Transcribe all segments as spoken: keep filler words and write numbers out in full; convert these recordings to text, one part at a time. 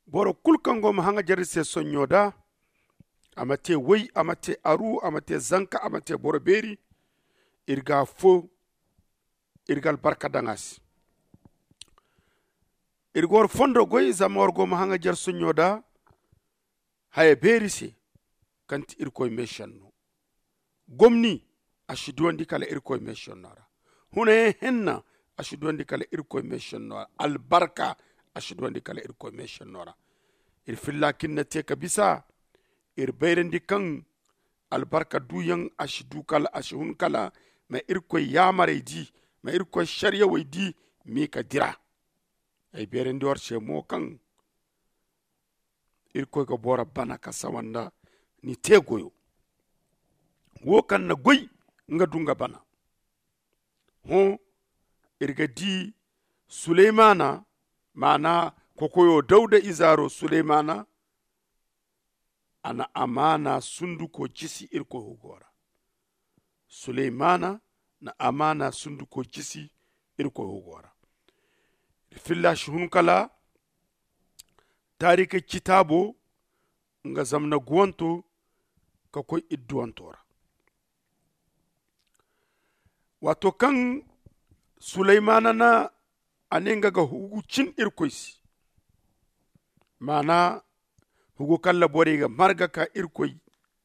Boro kulu kaŋ go ma haŋajer iri se sonɲo da, a ma te way, a ma te aru, a ma te zanka, a ma te boro beeri. Iri ga afo, iri ga albarka daŋ a se. Iri ga war fondo goy zama war go ma haŋajer sonɲo da haya beeri se, kaŋ ti irkoy meesenno. Gomni, a si duwandi kala irkoy meesenno ra. Hunayaŋ henna, a si duwandi kala irkoy meesenno ra. Albarka, a si duwandi kala irkoy meesenno ra. Iri filla kaŋ iri na te ka bisa, iri bayrandi kaŋ albarka duyaŋ a si du kala, a si hun kala ma irkoy yaamarey di, ma irkoy sariyawey di, m'i ka dira. Ay bayrandi war se mo kaŋ irkoy ga boro bana ka sawa nda ni te goyo. Wo kaŋ na goy, nga du nga bana. Hõ, iri ga di suleymana, maana kokoyo dawda izaaro suleymana, a na amaana sunduko jisi irkoy hugo ra. Suleymana na amaana sunduko jisi irkoy hugo ra. Filla si hun kala taarikey citaabo, nga zamna guwanto ka koy idduwanto ra. Waato kaŋ suleymana na a ne nga ga hugu cin irkoy se, maana hugu kaŋ ra borey ga marga ka irkoy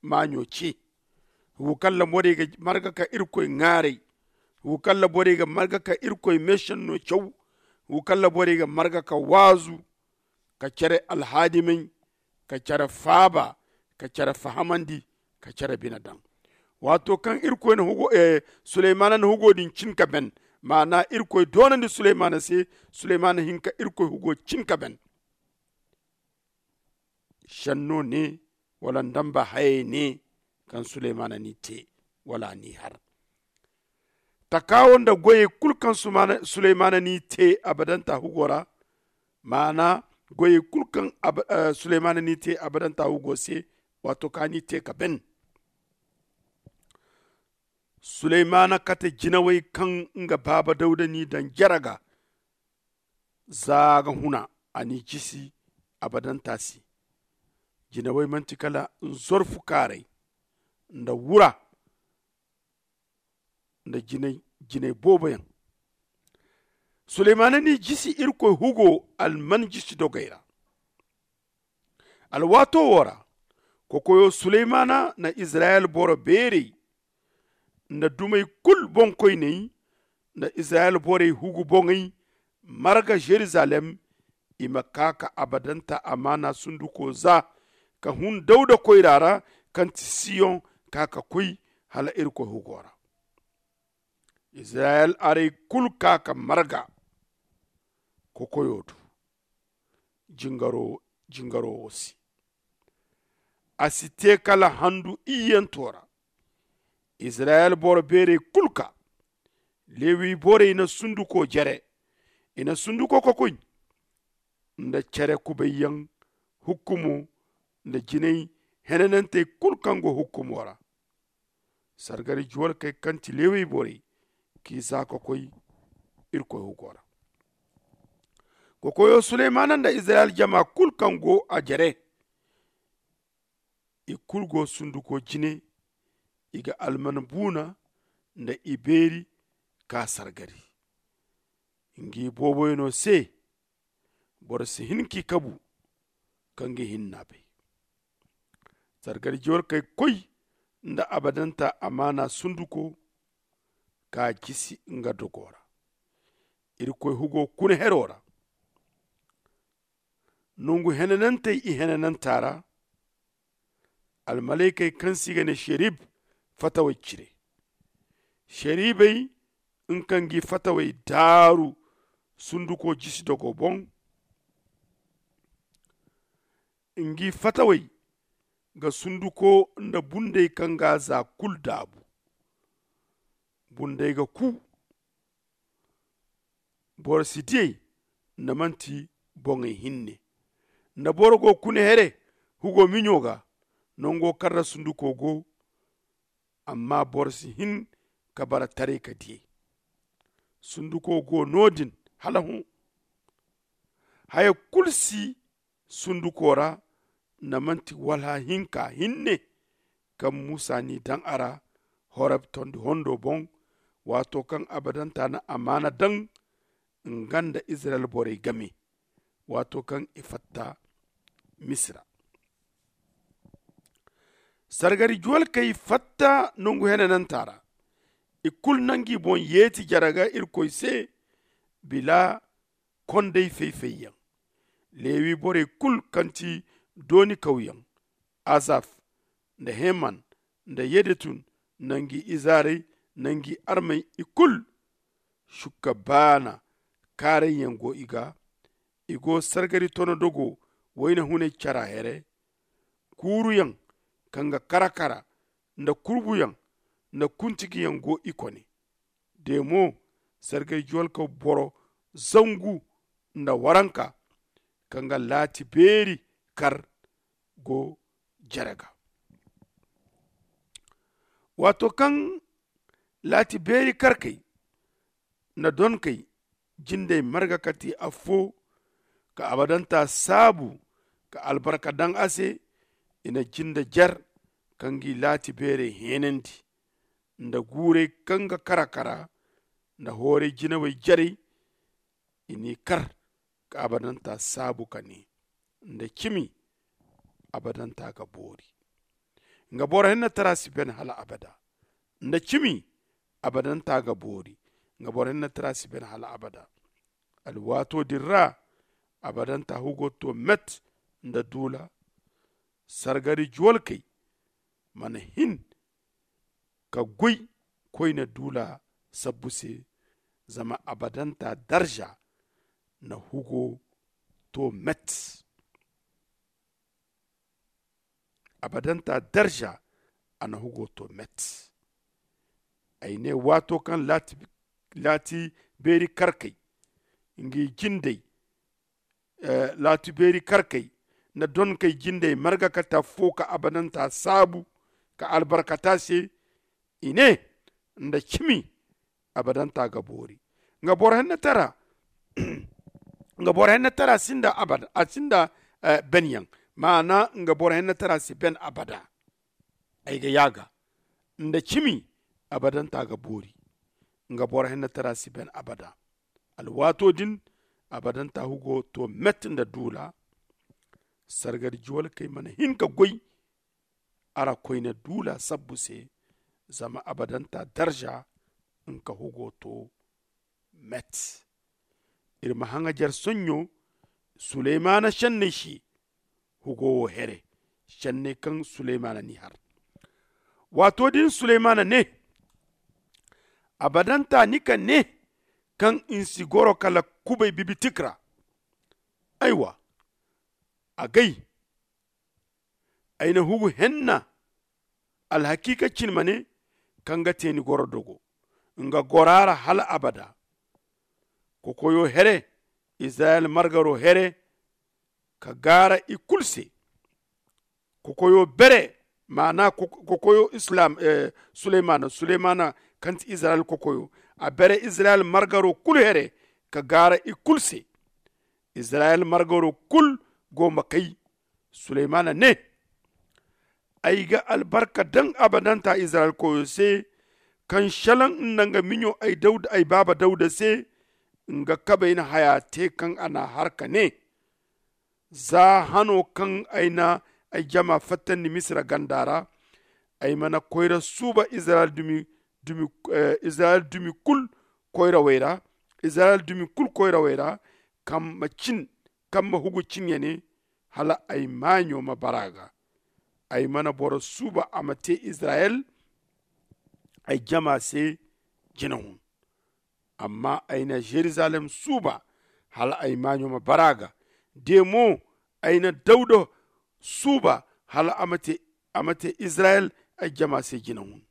maaɲo ce, hugu kaŋ ra borey ga marga ka irkoy ŋaaray, hugu kaŋ ra borey ga marga ka irkoy meesenno caw, hugu kaŋ ra borey ga marga ka waazu, ka care alhaadimay, ka care faaba, ka care fahamandi, ka care bine daŋ. Waato kaŋ irkoy na hugo suleymana na hugo din cin ka ben, maana irkoy doonandi suleymana se, suleymana hin ka irkoy hugo cin ka ben. Senno ne, wala ndamba hayey ne, kaŋ suleymana n'i te, wala a n'i har. Takaawo nda goyey kulu kaŋ suleymana n'i te abadanta hugo ra, maana goyey kulu kaŋ suleymana n'i te abadanta hugo se, waato kaŋ a n'i te ka ben. Suleymana kate jinawey kaŋ nga baaba dawda n'i daŋ jere ga, za ga huna, a n'i jisi abadanta se. Jinawey manti kala nzorfu kaaray, nda wura, nda jinay jinay boobo yaŋ. Suleymana n'i jisi irkoy hugo alman jisi dogey ra. Alwaato wo ra, kokoyo suleymana na izirayel boro beerey nda dumey kulu boŋkoyney nda izirayel borey hugu boŋey marga zerizalem, i ma kaa ka abadanta amaana sunduko za ka hun dawda koyra ra, kaŋ ti siyoŋ, kaa ka koy hala irkoy hugo ra. Izirayel arey kulu kaa ka marga kokoyo do jingaro wo se. A si te kala handu iyyanto ra. Izirayel boro beerey kulu kaa. Lewi borey na sunduko jere, i na sunduko kokoy nda care kubayyaŋ hukkumo nda jinay henanantey kulu kaŋ go hukkumo ra. Sargari juwalkey kaŋ ti lewi borey k'i za ka koy irkoy hugo ra. Kokoyo suleymana nda izirayel jama kulu kaŋ go a jere, i kulu go sunduko jine. I ga alman buuna nda ibeeri ka sargari ngi booboyano se. Boro si hin k'i kabu ka ngi hinna bay. Sargari jiwar kay koy nda abadanta amaana sunduko ka jisi nga dogo ra. Irkoy hugo kuna hero ra. Nongu henanantey i henananta ra. Almalaykey kaŋ se i ga ne sherib fatawey cire. Sheribey nga kaŋ gi fatawey daaru sunduko jisi dogo boŋ. Ngi fatawey ga sunduko nda bundey kaŋ ga za kulu daabu. Bundey ga ku. Boro si diyey nda manti boŋey hinne. Nda boro go kuna here hugo miɲo ga, nango kaŋ ra sunduko go. Amma boro si hin ka bara taray ka diyey. Sunduko go no-din hala hõ. Haya kulu si sunduko ra, nda manti walha hinka hinne kaŋ musa n'i daŋ a ra horeb tondi hondo boŋ. Waato kaŋ abadanta na amaana daŋ nga nda izirayel borey game, waato kaŋ i fatta misira. Sargari juwalkey fatta nangu henananta ra. I kulu na ngi boŋ yeeti jare ga irkoy se bila kondey fay-fay yaŋ. Lewi borey kulu kaŋ ti dooni kawyaŋ, asaf, nda heman, nda yedutun, nda ngi izaarey, nda ngi armey, i kulu sukka baana kaarayyaŋ go i ga. I go sargari tono dogo wayna hunay cara here. Kuuruyaŋ kaŋ ga kara-kara nda kurbuyaŋ nda kuntigiyaŋ go i kone. De mo, sargay juwalka boro zangu nda waranka kaŋ ga laati beeri kar go jare ga. Waato kaŋ laati beeri karkey nda donkey jindey marga ka te affo, ka abadanta saabu, ka albarka daŋ a se, i na jinde jer ka ngi laati beerey heenandi, nda guurey kaŋ ga kara-kara, nda hooray jinawey jarey. I n'i kar ka abadanta saabu ka ne, nda cimi abadanta ga boori, nga boro hennatara si ben hala abada. Nda cimi abadanta ga boori, nga boro hennatara si ben hala abada. Alwaato din ra abadanta hugo to met nda duula. Sargari juwalkey mana hin ka goy koyne duula sabbu se. Zama abadanta darza na hugo to met. Abadanta darza a na hugo to met. Ay ne waato kaŋ laati beeri karkey ngi jindey laati beeri karkey nda donkey jindey marga ka taffo ka abadanta saabu ka albarkata se. I ne nda cimi abadanta ga boori. Nga boro hennatara nga boro hennatara sinda abada a sinda benyaŋ. Maana nga boro hennatara si ben abada. Ay ga yaaga nda cimi abadanta ga boori. Nga boro hennatara si ben abada. Alwaato din abadanta hugo to met nda duula. Sargari juwalkey mana hin ka goy a ra koyne duula sabbu se. Zama abadanta darza nga hugo to met. Iri ma haŋajer soɲɲo suleymana senney se. Hugo wo here senney kaŋ suleymana n'i har. Waato din suleymana ne, abadanta ni ka ne kaŋ i si goro kala kubay bibitik ra. Aywa, agay ay na hugu henna. Alhakiika cin ma ne kaŋ ga te ni goro dogo nga gora ra hala abada. Kokoyo here, izirayel margaro here, ka gaara i kulu se. Kokoyo bere, maana kokoyo islam suleymana suleymana kaŋ ti izirayel kokoyo. A bere izirayel margaro kulu here ka gaara i kulu se. Izirayel margaro kulu go ma kay. Suleymana ne, ay ga albarka daŋ abadanta izirayel koyo se, kaŋ salaŋ nda nga miɲo ay baaba dawuda se. Nga kabay na haya te kaŋ a n'a har ka ne, za hano kaŋ ay na ay jama fattandi misira ganda ra, ay mana koyra suuba izirayel dumi kulu koyrawey ra, izirayel dumi kulu koyrawey ra, kaŋ ma hugu cin ya ne, hala ay maaɲo ma bara ga. Ay mana boro suuba a ma te izirayel ay jama se jina hun. Amma ay na yeruzalem suuba hala ay maaɲo ma bara ga. De mo, ay na dawuda suuba hala a ma te izirayel ay jama se jina hun.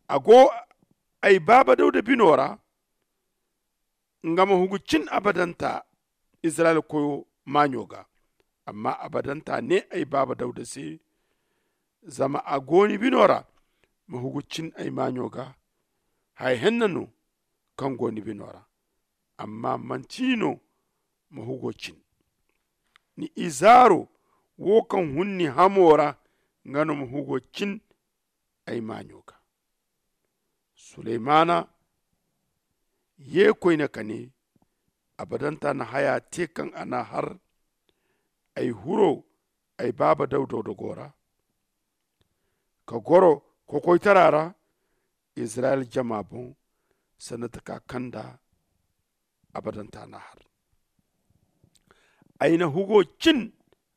A go ay baaba dawuda bino ra, nga ma hugu cin abadanta izirayel koyo maaɲo ga. Amma abadanta ne ay baaba dawuda se, zama a go ni bino ra, ma hugu cin ay maaɲo ga. Haya henna no kaŋ go ni bino ra, amma manti ni no ma hugo cin. ni izaaro wo kaŋ hun ni hamo ra, nga no ma hugo cin ay maaɲo ga. Suleymana ye koyne ka ne, abadanta na haya te kaŋ a n'a har ay huro ay baaba dawda dogo ra, ka goro kokoytara ra izirayel jama boŋ, sanda taka kaŋ nda abadanta n'a har. Ay na hugo cin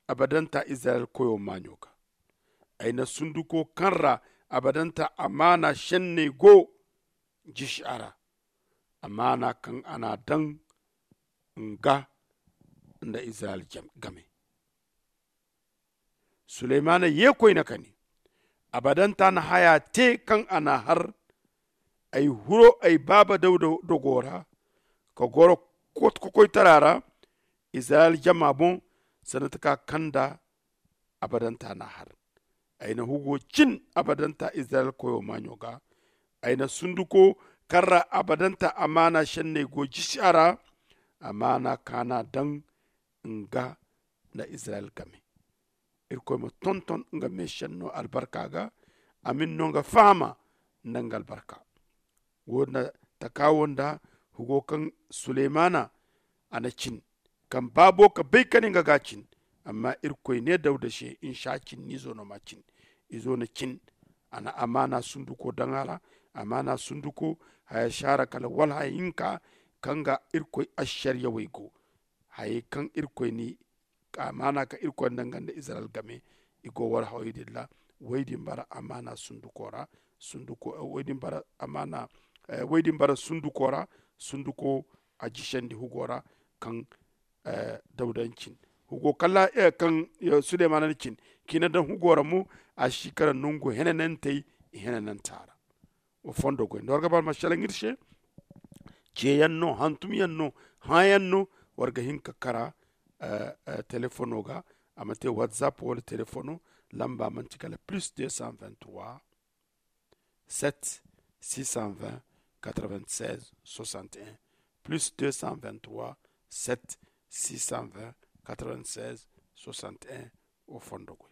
abadanta izirayel koyo maaɲo ga. Ay na sunduko kaŋ ra abadanta amaana senney go jisi a ra, amaana kaŋ a n'a daŋ nga nda izirayel game. Suleymana ye koyne ka ne, abadanta na haya te kaŋ a n'a har ay huro ay baaba dawda dogo ra, ka goro kokoytara ra izirayel jama boŋ, sanda taka kaŋ nda abadanta n'a har. Ay na hugo cin abadanta izirayel koyo maaɲo ga. Ay na sunduko kaŋ ra abadanta amaana senney go jisi a ra, amaana kaŋ a n'a daŋ nga nda izirayel game. Irkoy ma tonton nga meesenno albarka ga, a ma ni no nga fahama nda nga albarka. Wo- din taka wo nda hugo kaŋ suleymana a na cin, kaŋ baabo ka bay ka ne nga ga cin. Amma irkoy ne dawda se, nsa cin ni izo no ma cin. Izo na cin, a na amaana sunduko daŋ a ra. Amaana sunduko haya si a ra kala wala haya hinka kaŋ ga irkoy assaryawey go, hayey kaŋ irkoy ni amaana ka irkoy nda nga nda izirayel game. I go war hawey din ra. Way din bara amaana sunduko ra. Sunduko way din bara amaana way din bara sunduko ra. Sunduko a jisandi hugo ra kaŋ dawda na cin, hugo kala kaŋ sulemana na cin, ka i na daŋ hugo ra mo. A si kara nangu henanantey i henananta ra. Wa fondo goy nda war ga ba alma selaŋ iri se. Ceeyaŋ no, hantumyaŋ no, hãyaŋ no. War ga hin ka kara telefono ga. A ma te whatsapp wala telefono. Lamba manti kala plus deux cent vingt trois, sept six cent vingt, quatre vingt seize soixante et un. Plus deux cent vingt trois, sept six cent vingt, quatre vingt seize soixante et un. Wa fondo goy.